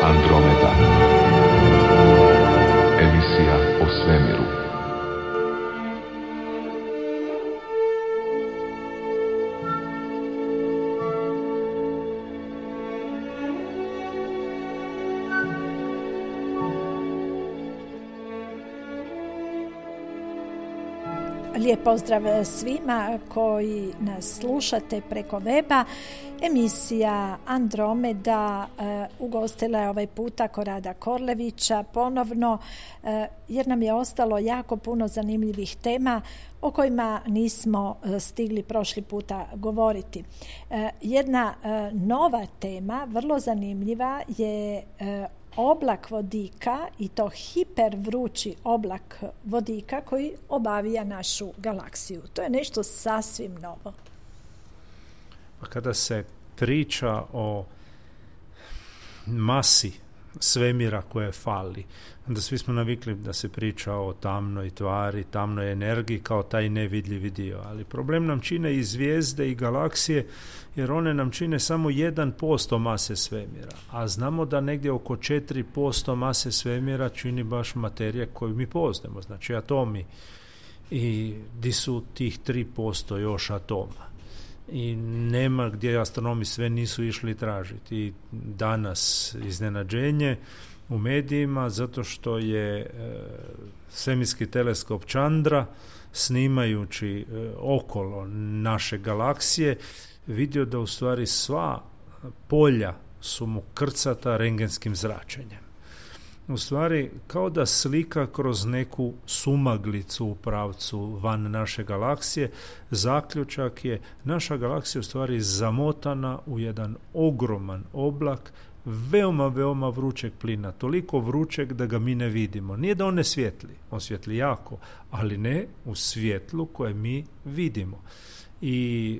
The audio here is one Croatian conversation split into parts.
Andromeda. Emisija o svemiru. Lijep pozdrav svima koji nas slušate preko weba. Emisija Andromeda ugostila je ovaj puta Korada Korlevića ponovno, jer nam je ostalo jako puno zanimljivih tema o kojima nismo stigli prošli puta govoriti. Jedna nova tema, vrlo zanimljiva, je oblak vodika, i to hipervrući oblak vodika koji obavija našu galaksiju. To je nešto sasvim novo. Kada se priča o masi svemira koje fali, onda svi smo navikli da se priča o tamnoj tvari, tamnoj energiji kao taj nevidljivi dio. Ali problem nam čine i zvijezde i galaksije, jer one nam čine samo 1% mase svemira. A znamo da negdje oko 4% mase svemira čini baš materija koju mi poznajemo, znači atomi. I di su tih 3% još atoma? I nema gdje astronomi sve nisu išli tražiti. I danas iznenađenje u medijima zato što je svemirski teleskop Chandra, snimajući okolo naše galaksije, vidio da u stvari sva polja su mu krcata rengenskim zračenjem. U stvari, kao da slika kroz neku sumaglicu u pravcu van naše galaksije, zaključak je naša galaksija u stvari zamotana u jedan ogroman oblak veoma, veoma vrućeg plina, toliko vrućeg da ga mi ne vidimo. Nije da on ne svijetli, on svijetli jako, ali ne u svjetlu koje mi vidimo. I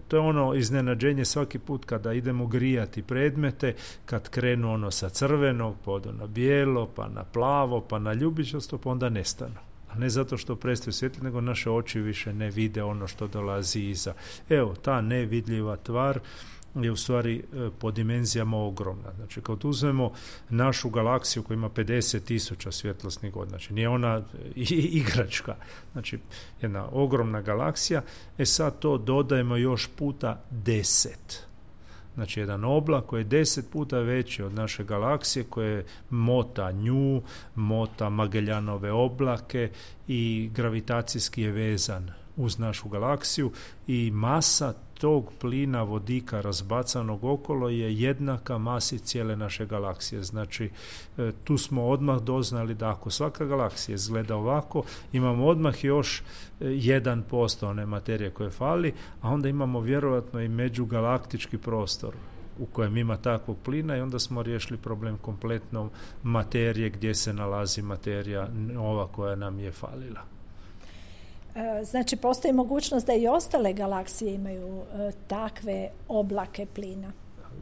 to je ono iznenađenje svaki put kada idemo grijati predmete, kad krenu ono sa crvenog, pa odu na bijelo, pa na plavo, pa na ljubičasto, pa onda nestanu. A ne zato što prestaju svjetli, nego naše oči više ne vide ono što dolazi iza. Evo, ta nevidljiva tvar je u stvari po dimenzijama ogromna. Znači, kad uzmemo našu galaksiju koja ima 50.000 svjetlosnih godina, znači nije ona igračka, znači jedna ogromna galaksija, sad to dodajemo još puta 10. Znači, jedan oblak koji je 10 puta veći od naše galaksije, koje mota nju, mota Magellanove oblake i gravitacijski je vezan uz našu galaksiju, i masa tog plina vodika razbacanog okolo je jednaka masi cijele naše galaksije. Znači, tu smo odmah doznali da ako svaka galaksija izgleda ovako, imamo odmah još 1% one materije koje fali, a onda imamo vjerojatno i međugalaktički prostor u kojem ima takvog plina, i onda smo riješili problem kompletno materije gdje se nalazi materija ova koja nam je falila. Znači, postoji mogućnost da i ostale galaksije imaju takve oblake plina?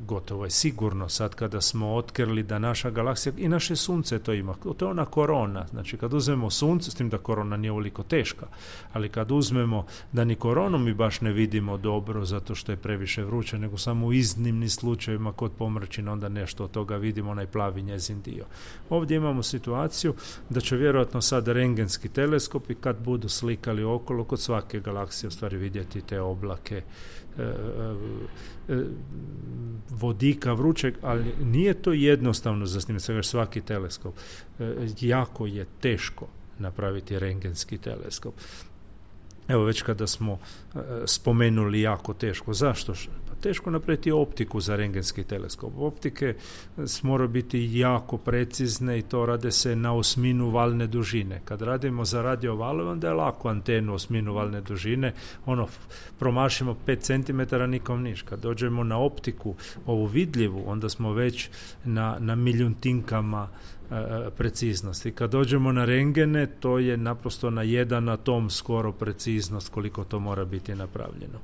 Gotovo je sigurno sad kada smo otkrili da naša galaksija i naše sunce to ima. To je ona korona. Znači, kad uzmemo sunce, s tim da korona nije ovoliko teška, ali kad uzmemo da ni koronu mi baš ne vidimo dobro zato što je previše vruće, nego samo u iznimnim slučajevima kod pomračina onda nešto od toga vidimo, onaj plavi njezin dio. Ovdje imamo situaciju da će vjerojatno sad rengenski teleskopi, kad budu slikali okolo, kod svake galaksije u stvari vidjeti te oblake vodika vrućeg, ali nije to jednostavno za snimati svaki teleskop. Jako je teško napraviti rengenski teleskop. Evo, već kada smo spomenuli jako teško. Zašto? Pa teško napraviti optiku za rengenski teleskop. Optike moraju biti jako precizne i to rade se na 1/8 valne dužine. Kad radimo za radio valove, onda je lako antenu 1/8 valne dužine, promašimo 5 cm, nikom niš. Kad dođemo na optiku, ovu vidljivu, onda smo već na milijuntinkama preciznosti. Kad dođemo na rengene, to je naprosto na 1 atom skoro preciznost koliko to mora biti napravljeno.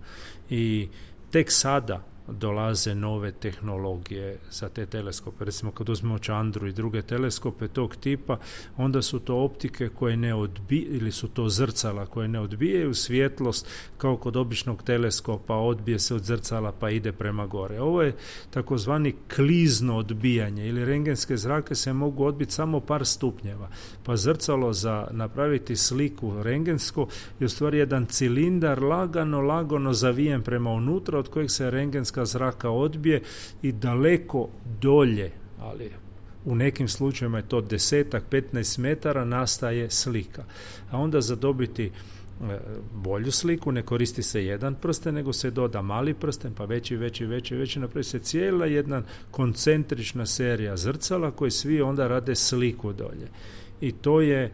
I tek sada dolaze nove tehnologije za te teleskope. Recimo kad uzmemo Čandru i druge teleskope tog tipa, onda su to optike koje ne odbijaju, ili su to zrcala koje ne odbijaju svjetlost kao kod običnog teleskopa, odbije se od zrcala pa ide prema gore. Ovo je takozvani klizno odbijanje, ili rengenske zrake se mogu odbiti samo par stupnjeva. Pa zrcalo za napraviti sliku rengensko je u stvari jedan cilindar lagano zavijen prema unutra, od kojeg se rengenska zraka odbije i daleko dolje, ali u nekim slučajevima je to 10-15 metara, nastaje slika. A onda za dobiti bolju sliku ne koristi se jedan prsten, nego se doda mali prsten, pa veći, napravi se cijela jedna koncentrična serija zrcala koji svi onda rade sliku dolje. I to je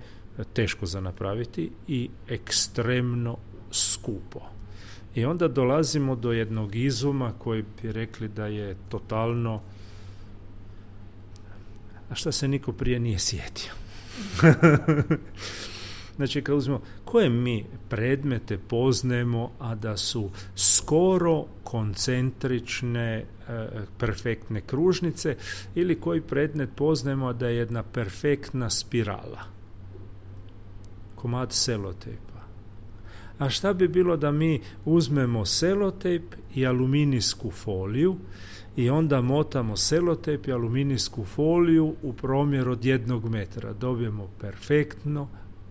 teško za napraviti i ekstremno skupo. I onda dolazimo do jednog izuma koji bi rekli da je totalno, a šta se niko prije nije sjetio. Znači, kad uzmemo, koje mi predmete poznajemo, a da su skoro koncentrične, perfektne kružnice, ili koji predmet poznajemo, a da je jedna perfektna spirala? Komad selotejpa. A šta bi bilo da mi uzmemo selotejp i aluminijsku foliju i onda motamo selotejp i aluminijsku foliju u promjer od 1 metra? Dobijemo perfektno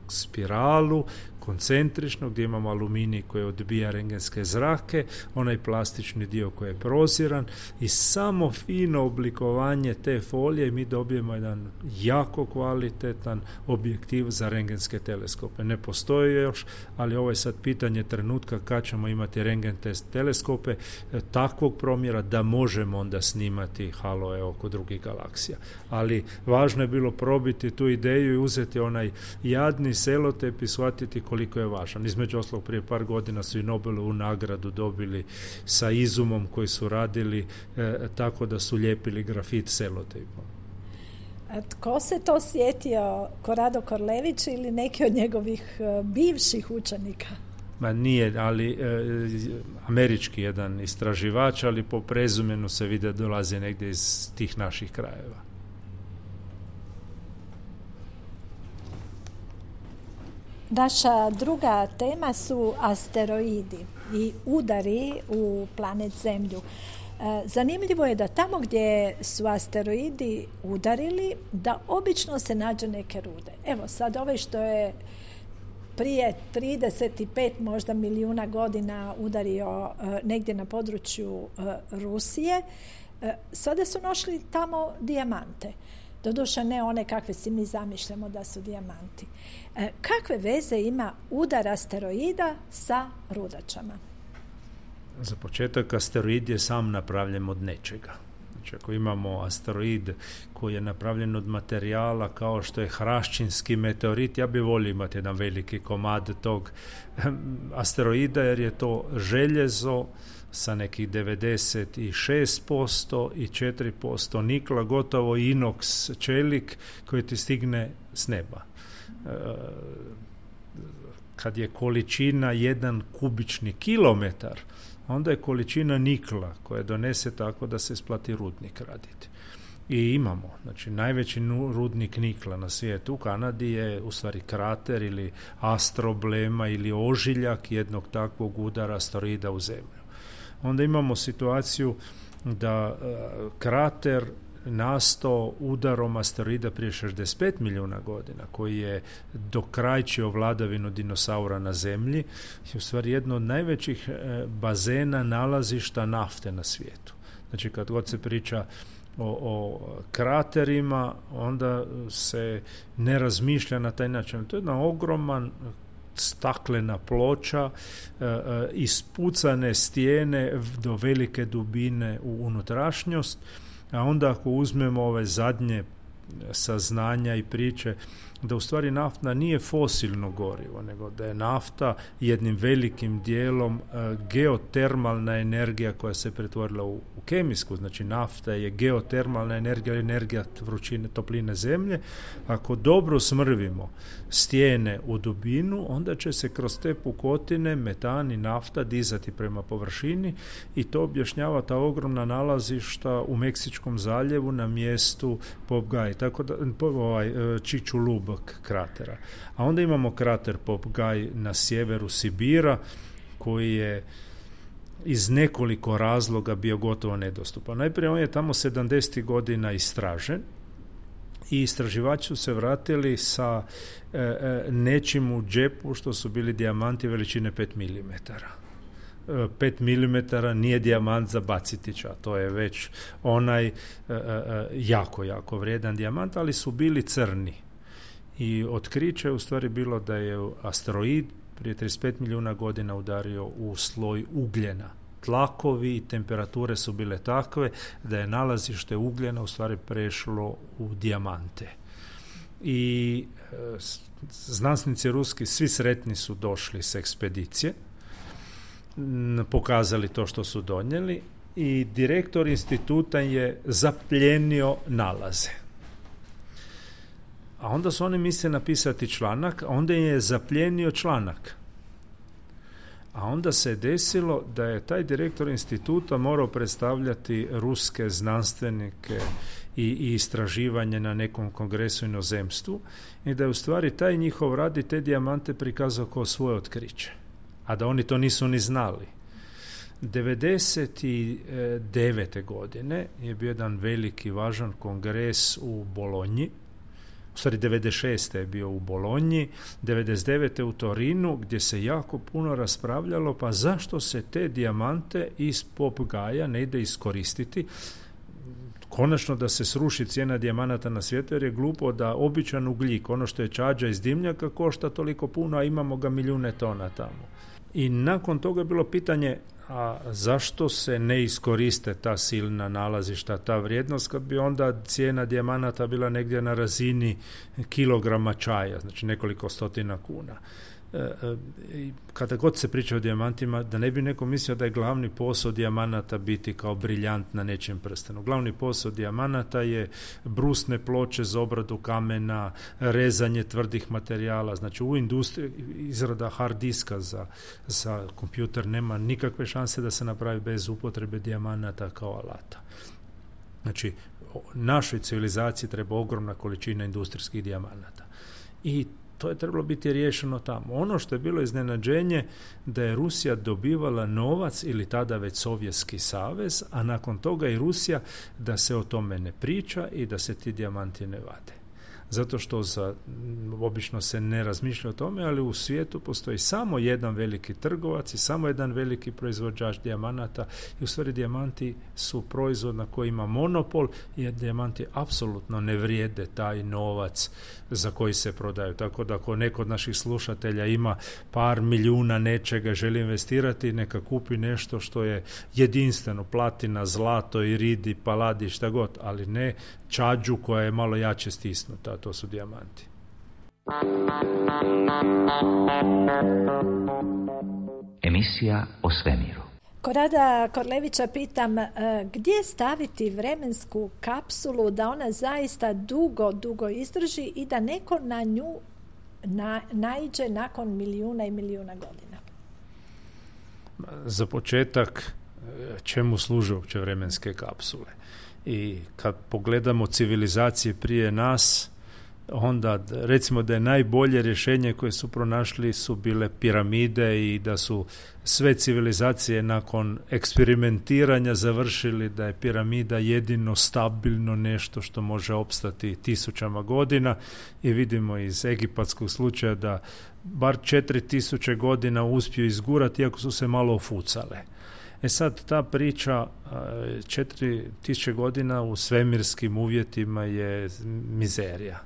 spiralu, koncentrično, gdje imamo aluminij koji odbija rengenske zrake, onaj plastični dio koji je proziran, i samo fino oblikovanje te folije mi dobijemo jedan jako kvalitetan objektiv za rengenske teleskope. Ne postoji još, ali ovo je sad pitanje trenutka kad ćemo imati rengen teleskope takvog promjera da možemo onda snimati haloe oko drugih galaksija. Ali važno je bilo probiti tu ideju i uzeti onaj jadni selotejp i shvatiti koliko je važan. Između ostalog, prije par godina su i Nobelovu nagradu dobili sa izumom koji su radili tako da su lijepili grafit selotejpom. Tko se to sjetio? Korado Korlević ili neki od njegovih bivših učenika? Ma nije, ali američki jedan istraživač, ali po prezumenu se vidi da dolazi negdje iz tih naših krajeva. Naša druga tema su asteroidi i udari u planet Zemlju. Zanimljivo je da tamo gdje su asteroidi udarili, da obično se nađe neke rude. Evo sad ovaj što je prije 35 možda milijuna godina udario negdje na području Rusije, sada su našli tamo dijamante. Doduše ne one kakve si mi zamišljamo da su dijamanti. Kakve veze ima udar asteroida sa rudačama? Za početak, asteroid je sam napravljen od nečega. Znači, ako imamo asteroid koji je napravljen od materijala kao što je hraščinski meteorit, ja bih volio imati jedan veliki komad tog asteroida, jer je to željezo sa nekih 96% i 4% nikla, gotovo inox čelik koji ti stigne s neba. Kad je količina 1 kubični kilometar, onda je količina nikla koja donese tako da se isplati rudnik raditi. I imamo, znači najveći rudnik nikla na svijetu u Kanadi je u stvari krater ili astroblema ili ožiljak jednog takvog udara asteroida u Zemlju. Onda imamo situaciju da krater nastao udarom asteroida prije 65 milijuna godina, koji je dokrajčio vladavinu dinosaura na Zemlji, je u stvari jedno od najvećih bazena nalazišta nafte na svijetu. Znači, kad god se priča o kraterima, onda se ne razmišlja na taj način. To je jedna ogroman staklena ploča, ispucane stijene do velike dubine u unutrašnjost, a onda ako uzmemo ove zadnje saznanja i priče da u stvari nafta nije fosilno gorivo, nego da je nafta jednim velikim dijelom geotermalna energija koja se pretvorila u kemijsku. Znači nafta je geotermalna energija vrućine, topline zemlje. Ako dobro smrvimo stijene u dubinu, onda će se kroz te pukotine metan i nafta dizati prema površini i to objašnjava ta ogromna nalazišta u Meksičkom zaljevu na mjestu Popgaj, tako da Čičulub kratera. A onda imamo krater Popgaj na sjeveru Sibira koji je iz nekoliko razloga bio gotovo nedostupan. Najprije on je tamo 70. godina istražen i istraživači su se vratili sa nečim u džepu što su bili dijamanti veličine 5 mm. 5 mm nije dijamant za baciti, to je već onaj jako vrijedan dijamant, ali su bili crni. I otkriće je u stvari bilo da je asteroid prije 35 milijuna godina udario u sloj ugljena. Tlakovi i temperature su bile takve da je nalazište ugljena u stvari prešlo u dijamante. I znanstvenici ruski svi sretni su došli s ekspedicije, pokazali to što su donijeli i direktor instituta je zapljenio nalaze. A onda su oni mislili napisati članak, a onda je zapljenio članak. A onda se desilo da je taj direktor instituta morao predstavljati ruske znanstvenike i istraživanje na nekom kongresu u inozemstvu i da je u stvari taj njihov rad i te dijamante prikazao kao svoje otkriće. A da oni to nisu ni znali. 99. godine je bio jedan veliki važan kongres u Bolonji. U stvari 96. je bio u Bolonji, 99. u Torinu, gdje se jako puno raspravljalo pa zašto se te dijamante iz Popgaja ne ide iskoristiti. Konačno da se sruši cijena dijamanata na svijetu, jer je glupo da običan ugljik, ono što je čađa iz dimnjaka, košta toliko puno, a imamo ga milijune tona tamo. I nakon toga je bilo pitanje, a zašto se ne iskoriste ta silna nalazišta, ta vrijednost, kad bi onda cijena dijamanata bila negdje na razini kilograma čaja, znači nekoliko stotina kuna. Kada god se priča o dijamantima, da ne bi neko mislio da je glavni posao dijamanata biti kao briljant na nečijem prstenu. Glavni posao dijamanata je brusne ploče za obradu kamena, rezanje tvrdih materijala. Znači u industriji izrada hard diska za kompjuter nema nikakve šanse da se napravi bez upotrebe dijamanata kao alata. Znači našoj civilizaciji treba ogromna količina industrijskih dijamanata. I to je trebalo biti riješeno tamo. Ono što je bilo iznenađenje da je Rusija dobivala novac ili tada već Sovjetski savez, a nakon toga i Rusija da se o tome ne priča i da se ti dijamanti ne vade. Zato što obično se ne razmišlja o tome, ali u svijetu postoji samo jedan veliki trgovac i samo jedan veliki proizvođač dijamanata i u stvari dijamanti su proizvod na koji ima monopol jer dijamanti apsolutno ne vrijede taj novac za koji se prodaju. Tako da ako neko od naših slušatelja ima par milijuna nečega, želi investirati, neka kupi nešto što je jedinstveno, platina, zlato, iridi, paladi, šta god, ali ne čađu koja je malo jače stisnuta, a to su dijamanti. Emisija o svemiru. Korada Korlevića pitam, gdje staviti vremensku kapsulu da ona zaista dugo izdrži i da neko na nju naiđe nakon milijuna i milijuna godina? Za početak, čemu služe uopće vremenske kapsule? I kad pogledamo civilizacije prije nas, onda recimo da je najbolje rješenje koje su pronašli su bile piramide i da su sve civilizacije nakon eksperimentiranja završili da je piramida jedino stabilno nešto što može opstati tisućama godina i vidimo iz egipatskog slučaja da bar 4000 godina uspiju izgurati iako su se malo ofucale. Sad ta priča 4000 godina u svemirskim uvjetima je mizerija.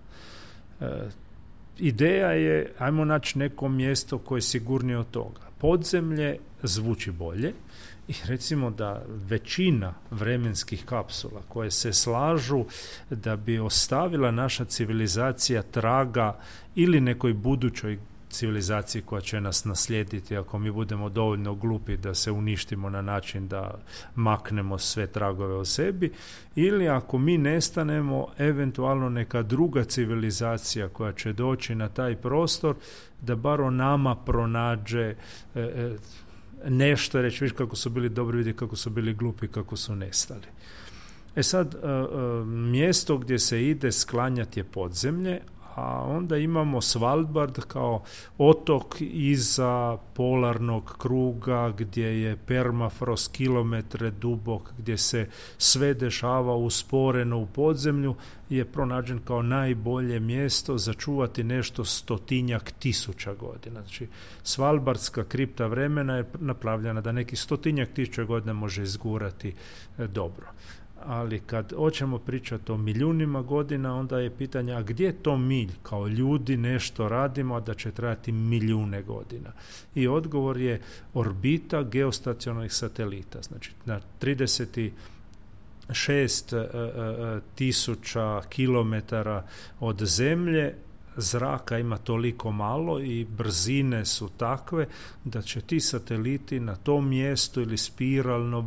ideja je, ajmo naći neko mjesto koje je sigurnije od toga. Podzemlje zvuči bolje i recimo da većina vremenskih kapsula koje se slažu da bi ostavila naša civilizacija traga ili nekoj budućoj civilizaciji koja će nas naslijediti ako mi budemo dovoljno glupi da se uništimo na način da maknemo sve tragove o sebi, ili ako mi nestanemo, eventualno neka druga civilizacija koja će doći na taj prostor da bar o nama pronađe nešto, reći viš kako su bili dobri, vidi kako su bili glupi, kako su nestali. Sad, mjesto gdje se ide sklanjati je podzemlje, a onda imamo Svalbard kao otok iza polarnog kruga gdje je permafrost kilometre dubok, gdje se sve dešava usporeno u podzemlju, je pronađen kao najbolje mjesto za čuvati nešto 100.000 godina. Znači, Svalbardska kripta vremena je napravljena da neki 100.000 godina može izgurati dobro. Ali kad hoćemo pričati o milijunima godina, onda je pitanje, a gdje to mi kao ljudi nešto radimo, a da će trajati milijune godina? I odgovor je orbita geostacionarnih satelita. Znači, na 36.000 kilometara od Zemlje zraka ima toliko malo i brzine su takve da će ti sateliti na tom mjestu ili spiralno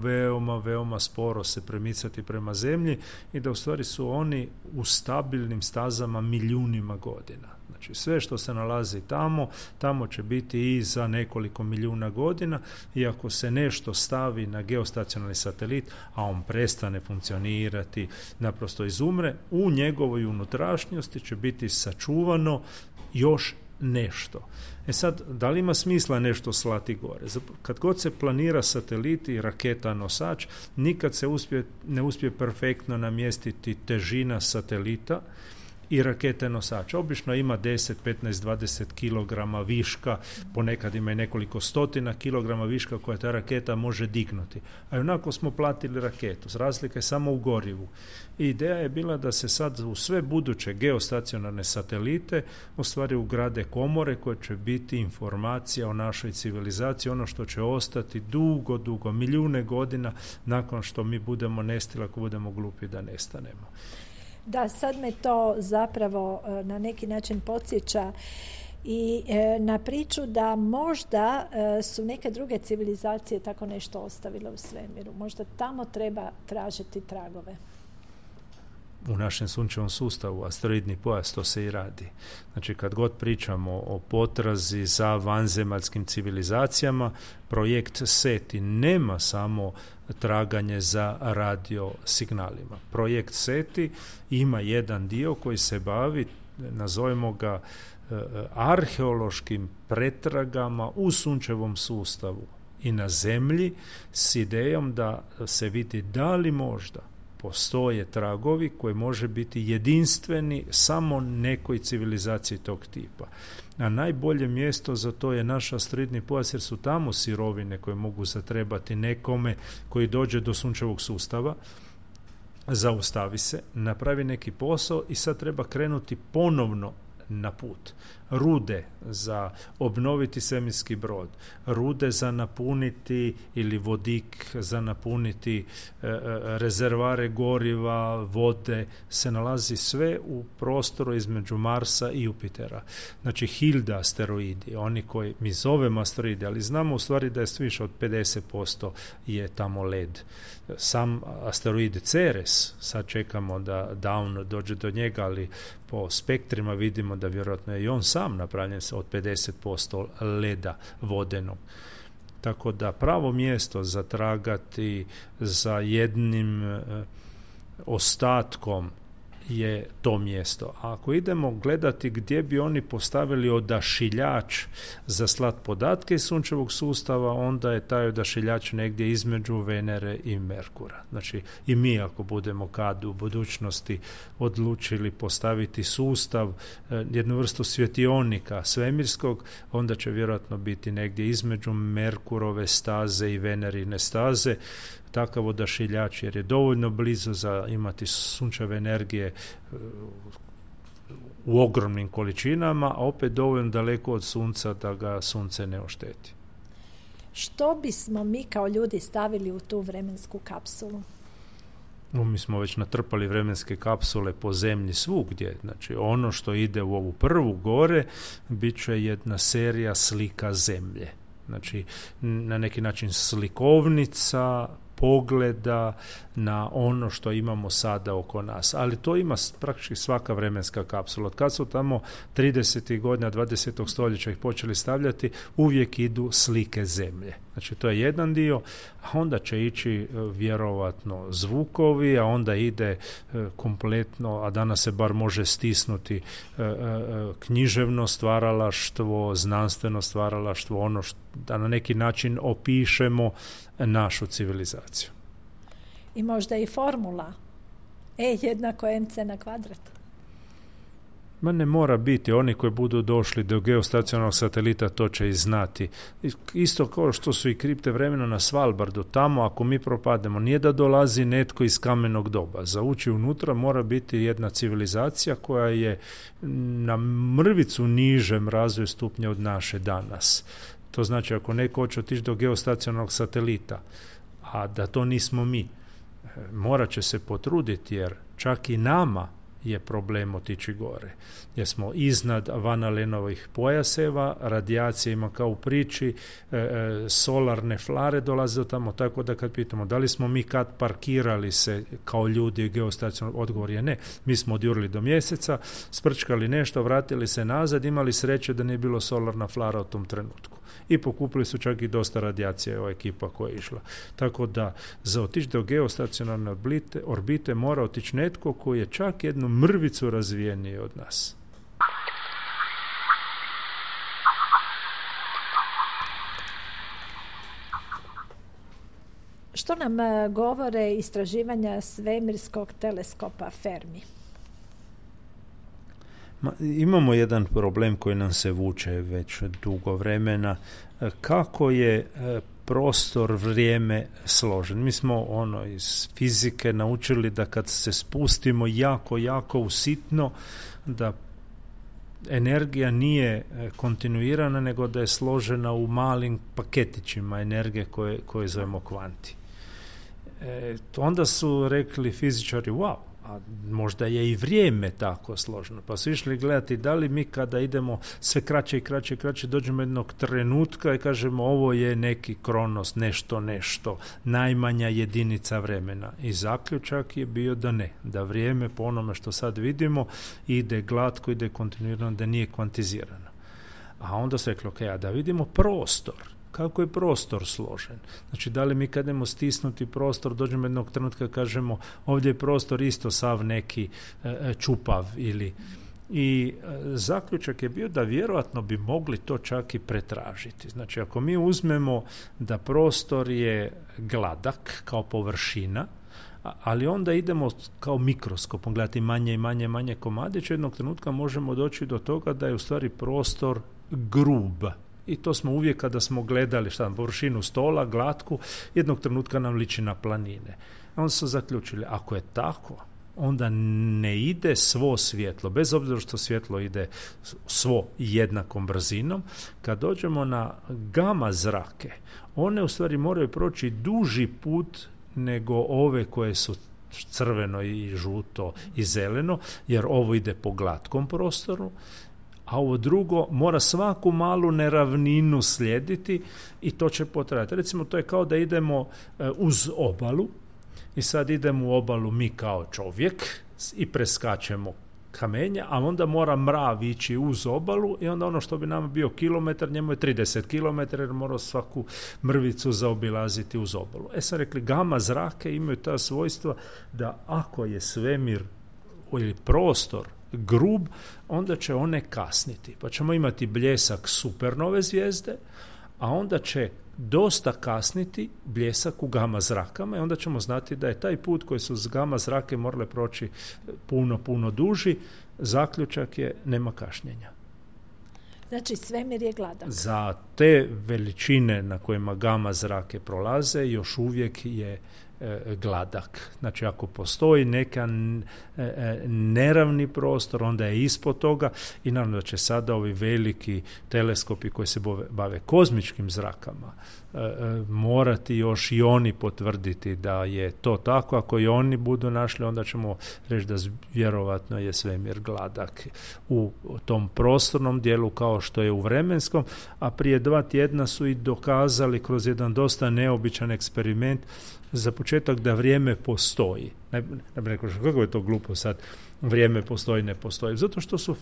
veoma sporo se premicati prema Zemlji i da u stvari su oni u stabilnim stazama milijunima godina. Znači sve što se nalazi tamo će biti i za nekoliko milijuna godina, i ako se nešto stavi na geostacionarni satelit, a on prestane funkcionirati, naprosto izumre, u njegovoj unutrašnjosti će biti sačuvano još nešto. Sad, da li ima smisla nešto slati gore? Kad god se planira satelit i raketa nosač, nikad se ne uspije perfektno namjestiti težina satelita i rakete nosača. Obično ima 10, 15, 20 kilograma viška, ponekad ima i nekoliko stotina kilograma viška koja ta raketa može dignuti. A onako smo platili raketu. Razlika je samo u gorivu. I ideja je bila da se sad u sve buduće geostacionarne satelite u stvari ugrade komore koje će biti informacija o našoj civilizaciji, ono što će ostati dugo, milijune godina nakon što mi budemo nestali, ako budemo glupi da nestanemo. Da, sad me to zapravo na neki način podsjeća i na priču da možda su neke druge civilizacije tako nešto ostavile u svemiru. Možda tamo treba tražiti tragove. U našem sunčevom sustavu, asteroidni pojas, to se i radi. Znači, kad god pričamo o potrazi za vanzemaljskim civilizacijama, projekt SETI nema samo traganje za radio signalima. Projekt SETI ima jedan dio koji se bavi, nazovimo ga, arheološkim pretragama u sunčevom sustavu i na Zemlji s idejom da se vidi da li možda postoje tragovi koji može biti jedinstveni samo nekoj civilizaciji tog tipa. A najbolje mjesto za to je naš asteroidni pojas, jer su tamo sirovine koje mogu zatrebati nekome koji dođe do sunčevog sustava, zaustavi se, napravi neki posao i sad treba krenuti ponovno na put. Rude za obnoviti svemirski brod, rude za napuniti ili vodik za napuniti rezervare goriva, vode, se nalazi sve u prostoru između Marsa i Jupitera. Znači Hilda asteroidi, oni koji mi zovemo asteroidi, ali znamo u stvari da je više od 50% je tamo led. Sam asteroid Ceres, sad čekamo da on dođe do njega, ali po spektrima vidimo da vjerojatno je i on sam napravljen od 50% leda vodenog. Tako da pravo mjesto za tragati za jednim ostatkom je to mjesto. A ako idemo gledati gdje bi oni postavili odašiljač za slat podatke iz sunčevog sustava, onda je taj odašiljač negdje između Venere i Merkura. Znači i mi ako budemo kad u budućnosti odlučili postaviti sustav, jednu vrstu svjetionika svemirskog, onda će vjerojatno biti negdje između Merkurove staze i Venerine staze takav odašiljač, jer je dovoljno blizu za imati sunčeve energije u ogromnim količinama, a opet dovoljno daleko od sunca da ga sunce ne ošteti. Što bismo mi kao ljudi stavili u tu vremensku kapsulu? Mi smo već natrpali vremenske kapsule po zemlji svugdje. Znači, ono što ide u ovu prvu gore bit će jedna serija slika zemlje. Znači, na neki način slikovnica pogleda na ono što imamo sada oko nas. Ali to ima praktički svaka vremenska kapsula. Od kad su tamo 30. godina 20. stoljeća ih počeli stavljati, uvijek idu slike zemlje. Znači, to je jedan dio, a onda će ići vjerovatno zvukovi, a onda ide kompletno, a danas se bar može stisnuti književno stvaralaštvo, znanstveno stvaralaštvo, ono da na neki način opišemo našu civilizaciju. I možda i formula E jednako mc na kvadrat. Ma ne mora biti, oni koji budu došli do geostacionarnog satelita to će i znati. Isto kao što su i kripte vremena na Svalbardu, tamo ako mi propademo, nije da dolazi netko iz kamenog doba. Za ući unutra mora biti jedna civilizacija koja je na mrvicu nižem razvoju stupnja od naše danas. To znači ako neko hoće otići do geostacionarnog satelita, a da to nismo mi, morat će se potruditi jer čak i nama je problem otići gore. Jer smo iznad Van Alenovih pojaseva, radijacija ima kao u priči, solarne flare dolaze do tamo, tako da kad pitamo da li smo mi kad parkirali se kao ljudi geostacionarno, odgovor je ne. Mi smo odjurili do mjeseca, sprčkali nešto, vratili se nazad, imali sreće da nije bilo solarna flara u tom trenutku. I pokupili su čak i dosta radijacije ova ekipa koja je išla. Tako da za otići do geostacionarne orbite mora otići netko koji je čak jednu mrvicu razvijeniji od nas. Što nam govore istraživanja svemirskog teleskopa Fermi? Imamo jedan problem koji nam se vuče već dugo vremena. Kako je prostor, vrijeme složen? Mi smo iz fizike naučili da kad se spustimo jako u sitno, da energija nije kontinuirana, nego da je složena u malim paketićima energije koje zovemo kvanti. Onda su rekli fizičari, wow, a možda je i vrijeme tako složeno. Pa su išli gledati da li mi kada idemo sve kraće i kraće dođemo jednog trenutka i kažemo ovo je neki kronos, nešto, najmanja jedinica vremena. I zaključak je bio da ne, da vrijeme po onome što sad vidimo ide glatko, ide kontinuirano, da nije kvantizirano. A onda su rekli, ok, a da vidimo prostor. Kako je prostor složen? Znači, da li mi kad idemo stisnuti prostor, dođemo jednog trenutka kažemo ovdje je prostor isto sav neki čupav ili... I zaključak je bio da vjerojatno bi mogli to čak i pretražiti. Znači, ako mi uzmemo da prostor je gladak kao površina, ali onda idemo kao mikroskopom gledati manje komadiće, jednog trenutka možemo doći do toga da je u stvari prostor grub. I to smo uvijek kada smo gledali površinu stola, glatku, jednog trenutka nam liči na planine. Onda su zaključili, ako je tako, onda ne ide svo svjetlo, bez obzira što svjetlo ide svo jednakom brzinom. Kad dođemo na gama zrake, one u stvari moraju proći duži put nego ove koje su crveno i žuto i zeleno, jer ovo ide po glatkom prostoru, a ovo drugo mora svaku malu neravninu slijediti i to će potrajati. Recimo, to je kao da idemo uz obalu i sad idemo u obalu mi kao čovjek i preskačemo kamenja, a onda mora mrav ići uz obalu i onda ono što bi nama bio kilometar, njemu je 30 km jer mora svaku mrvicu zaobilaziti uz obalu. Sad rekli, gama zrake imaju ta svojstva da ako je svemir ili prostor grub, onda će one kasniti. Pa ćemo imati bljesak supernove zvijezde, a onda će dosta kasniti bljesak u gama zrakama i onda ćemo znati da je taj put koji su s gama zrake morale proći puno duži. Zaključak je nema kašnjenja. Znači svemir je gladak. Za te veličine na kojima gama zrake prolaze još uvijek je gladak. Znači ako postoji neka neravni prostor, onda je ispod toga i naravno da će sada ovi veliki teleskopi koji se bave kozmičkim zrakama morati još i oni potvrditi da je to tako. Ako i oni budu našli, onda ćemo reći da vjerovatno je svemir gladak u tom prostornom dijelu kao što je u vremenskom, a prije 2 tjedna su i dokazali kroz jedan dosta neobičan eksperiment za početak da vrijeme postoji. Ne bi rekao, kako je to glupo sad, vrijeme postoji, ne postoji. Zato što su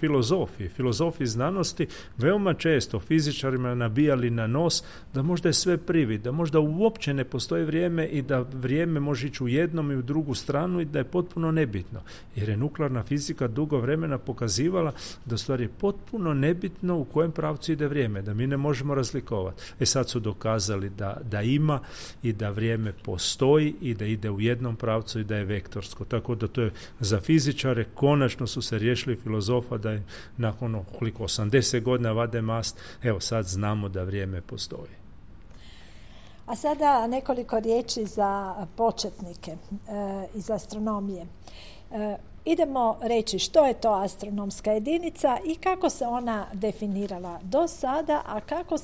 filozofi znanosti veoma često fizičarima nabijali na nos da možda je sve privid, da možda uopće ne postoji vrijeme i da vrijeme može ići u jednom i u drugu stranu i da je potpuno nebitno. Jer je nuklearna fizika dugo vremena pokazivala da stvari je potpuno nebitno u kojem pravcu ide vrijeme, da mi ne možemo razlikovati. Sad su dokazali da ima i da vrijeme postoji i da ide u jednom pravcu i da je vektorsko. Tako da to je za fizičare, konačno su se riješili filozofa da je nakon 80 godina vade mast, evo sad znamo da vrijeme postoji. A sada nekoliko riječi za početnike iz astronomije. Idemo reći što je to astronomska jedinica i kako se ona definirala do sada, a kako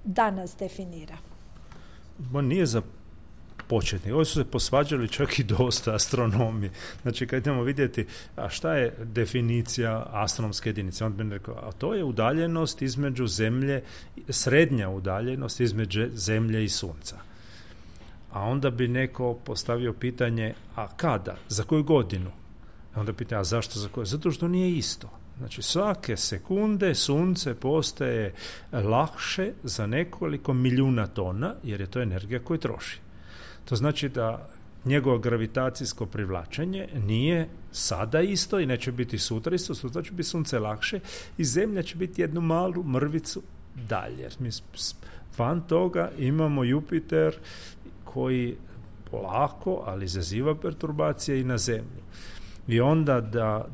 danas definira? Nije za početnik. Ovi su se posvađali čak i dosta astronomi. Znači, kad idemo vidjeti, a šta je definicija astronomske jedinice? On bi rekao, a to je udaljenost između Zemlje, srednja udaljenost između Zemlje i Sunca. A onda bi neko postavio pitanje, a kada? Za koju godinu? A onda pitanje, a zašto za koju? Zato što nije isto. Znači, svake sekunde Sunce postaje lakše za nekoliko milijuna tona, jer je to energija koju troši. To znači da njegovo gravitacijsko privlačenje nije sada isto i neće biti sutra isto, sutra će biti Sunce lakše i Zemlja će biti jednu malu mrvicu dalje. Mi van toga imamo Jupiter koji polako, ali izaziva perturbacije i na Zemlju. I onda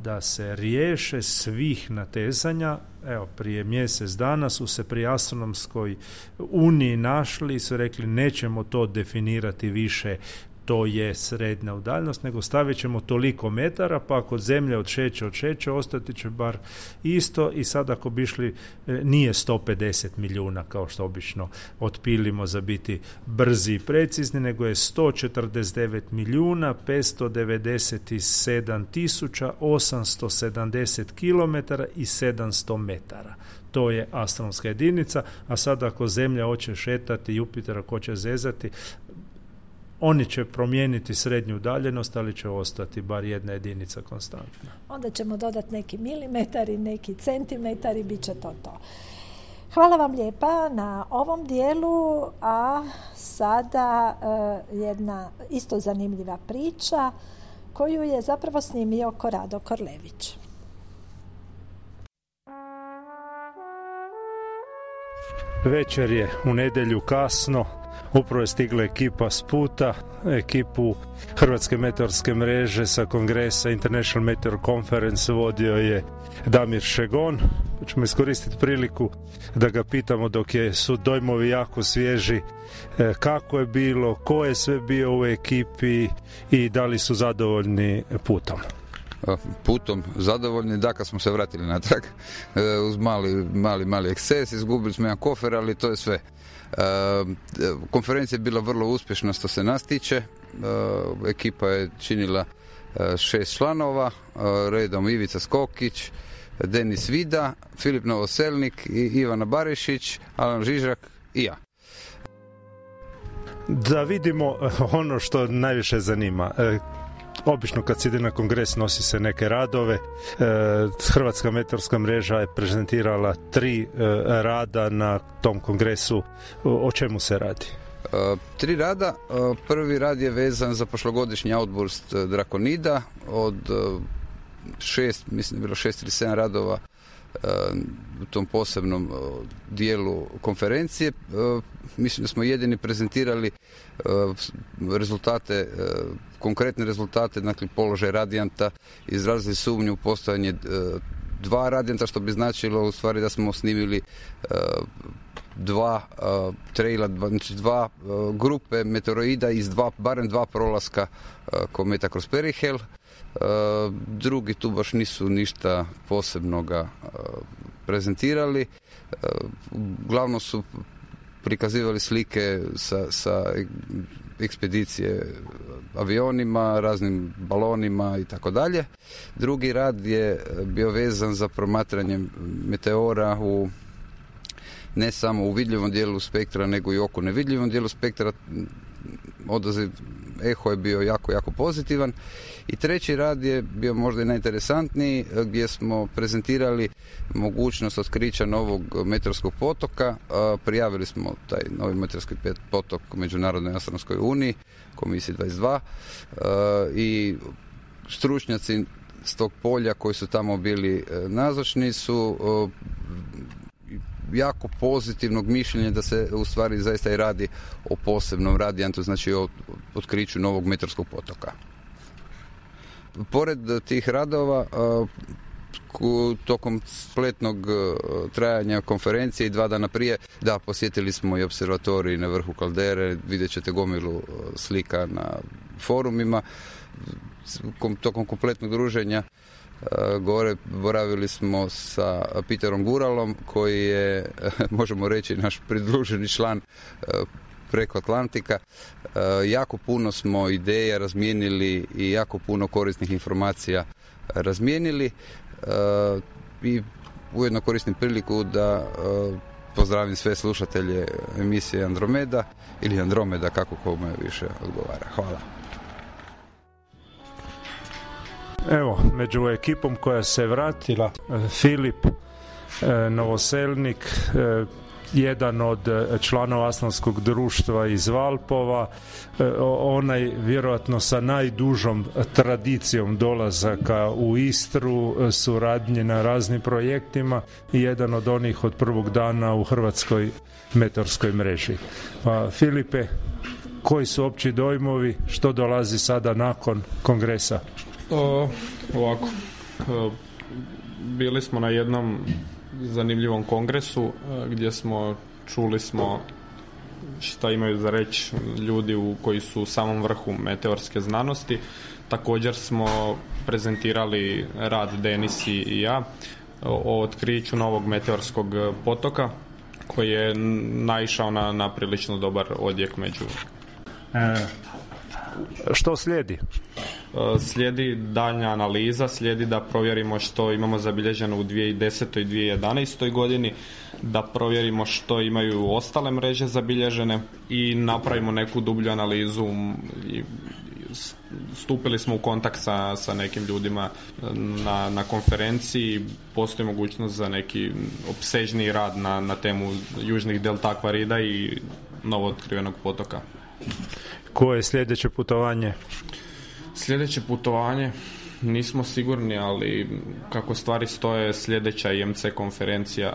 da se riješe svih natezanja, evo prije mjesec dana su se pri astronomskoj uniji našli i su rekli nećemo to definirati više, to je srednja udaljenost, nego stavit ćemo toliko metara, pa ako Zemlja odšeće, ostati će bar isto i sad ako bi išli, nije 150 milijuna kao što obično otpilimo za biti brzi i precizni, nego je 149 milijuna 597 tisuća 870 kilometara i 700 metara. To je astronomska jedinica, a sad ako Zemlja hoće šetati, Jupiter ako hoće zezati, oni će promijeniti srednju udaljenost, ali će ostati bar jedna jedinica konstantna. Onda ćemo dodati neki milimetari, neki centimetari, bit će to. Hvala vam lijepa na ovom dijelu, a sada jedna isto zanimljiva priča koju je zapravo snimio Korado Korlević. Večer je u nedjelju kasno, upravo je stigla ekipa s puta, ekipu Hrvatske meteorske mreže sa kongresa International Meteor Conference vodio je Damir Šegon. Ćemo iskoristiti priliku da ga pitamo dok su dojmovi jako svježi, kako je bilo, ko je sve bio u ekipi i da li su zadovoljni putom. Putom zadovoljni, da, kad smo se vratili natrag uz mali eksces, izgubili smo jedan kofer, ali to je sve. Konferencija je bila vrlo uspješna što se nas tiče. Ekipa je činila 6 članova, redom Ivica Skokić, Denis Vida, Filip Novoselnik, Ivana Barišić, Alan Žižak i ja. Da vidimo ono što najviše zanima. Obično kad se ide na kongres nosi se neke radove. Hrvatska meteorska mreža je prezentirala 3 rada na tom kongresu. O čemu se radi? 3 rada. Prvi rad je vezan za prošlogodišnji outburst Drakonida od 6, mislim je bilo 6 ili 7 radova u tom posebnom dijelu konferencije. Mislim da smo jedini prezentirali rezultate, konkretne rezultate, dakle položaj radijanta, izrazili sumnju u postojanje 2 radijanta, što bi značilo u stvari da smo snimili dva traila, znači dva grupe meteoroida iz barem dva prolaska kometa kroz Perihel. Drugi tu baš nisu ništa posebnoga prezentirali. Uglavnom su prikazivali slike sa ekspedicije avionima, raznim balonima i tako dalje. Drugi rad je bio vezan za promatranje meteora ne samo u vidljivom dijelu spektra, nego i oko nevidljivom dijelu spektra. Odaziv eho je bio jako, jako pozitivan. I treći rad je bio možda i najinteresantniji, gdje smo prezentirali mogućnost otkrića novog meteorskog potoka. Prijavili smo taj novi meteorski potok Međunarodnoj astronomskoj uniji, komisiji 22, i stručnjaci s tog polja koji su tamo bili nazočni su jako pozitivnog mišljenja da se u stvari zaista i radi o posebnom radijantu, znači o otkriću novog meteorskog potoka. Pored tih radova, tokom spletnog trajanja konferencije i 2 dana prije, posjetili smo i observatorij na vrhu kaldere, vidjet ćete gomilu slika na forumima. Tokom kompletnog druženja gore boravili smo sa Peterom Guralom, koji je, možemo reći, naš pridruženi član preko Atlantika. Jako puno smo ideja razmijenili i jako puno korisnih informacija razmijenili, i ujedno koristim priliku da pozdravim sve slušatelje emisije Andromeda ili Andromeda, kako kome više odgovara. Hvala. Evo, među ekipom koja se vratila, Filip Novoselnik, jedan od članova astronomskog društva iz Valpova, onaj vjerojatno sa najdužom tradicijom dolazaka u Istru, suradnje na raznim projektima, i jedan od onih od prvog dana u Hrvatskoj meteorskoj mreži. Filipe, koji su opći dojmovi, što dolazi sada nakon kongresa? Ovako, bili smo na jednom zanimljivom kongresu gdje čuli smo šta imaju za reći ljudi koji su u samom vrhu meteorske znanosti. Također smo prezentirali rad Denis i ja o otkriću novog meteorskog potoka, koji je naišao na prilično dobar odjek među. Što slijedi? Slijedi daljnja analiza, slijedi da provjerimo što imamo zabilježeno u 2010. i 2011. godini, da provjerimo što imaju ostale mreže zabilježene i napravimo neku dublju analizu. Stupili smo u kontakt sa nekim ljudima na konferenciji. Postoji mogućnost za neki opsežniji rad na temu južnih delta Akvarida i novo otkrivenog potoka. Koje je sljedeće putovanje? Sljedeće putovanje nismo sigurni, ali kako stvari stoje, sljedeća IMC konferencija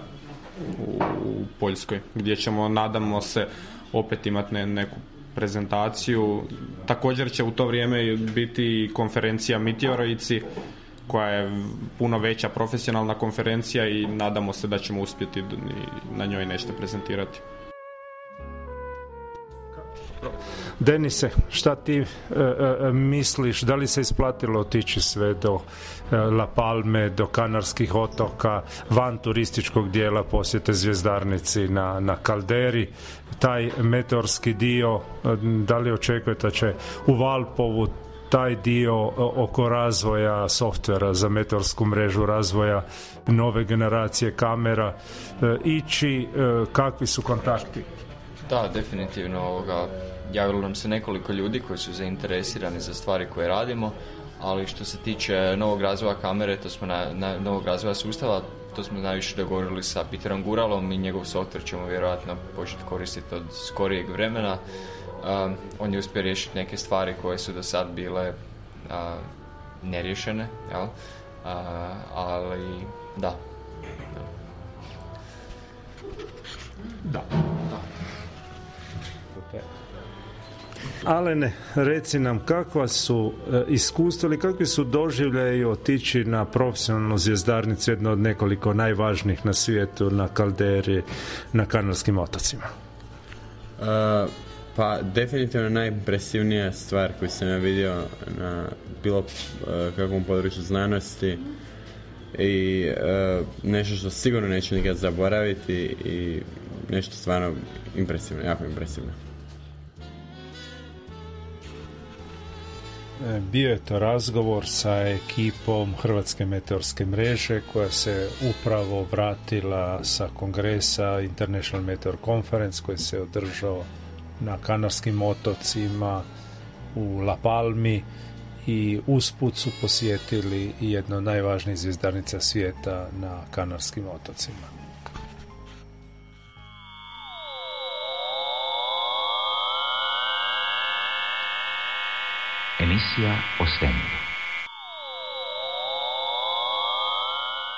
u Poljskoj, gdje ćemo, nadamo se, opet imati neku prezentaciju. Također će u to vrijeme biti konferencija Meteoroici, koja je puno veća profesionalna konferencija, i nadamo se da ćemo uspjeti na njoj nešto prezentirati. Denise, šta ti misliš, da li se isplatilo otići sve do La Palme, do Kanarskih otoka, van turističkog dijela posjete zvjezdarnici na kalderi, taj meteorski dio, da li očekujete da će u Valpovu taj dio oko razvoja softvera za meteorsku mrežu, razvoja nove generacije kamera ići, kakvi su kontakti? Da, definitivno javilo nam se nekoliko ljudi koji su zainteresirani za stvari koje radimo, ali što se tiče novog razvoja kamere, to smo novog razvoja sustava, to smo najviše dogovorili sa Peterom Guralom, i njegov softver ćemo vjerojatno početi koristiti od skorijeg vremena. On je uspio riješiti neke stvari koje su do sad bile neriješene, jel? Ali da. Alene, reci nam kakva su iskustva ili kakvi su doživljaji otići na profesionalnu zvjezdarnicu, jedno od nekoliko najvažnijih na svijetu, na kalderi, na Kanarskim otocima? Pa definitivno najimpresivnija stvar koju sam ja vidio na bilo kakvom području znanosti i nešto što sigurno neću nikad zaboraviti i nešto stvarno impresivno, jako impresivno. Bio je to razgovor sa ekipom Hrvatske meteorske mreže koja se upravo vratila sa kongresa International Meteor Conference koji se održao na Kanarskim otocima u La Palmi i usput su posjetili jedno od najvažnijih zvjezdarnica svijeta na Kanarskim otocima. Emisija o svemiru.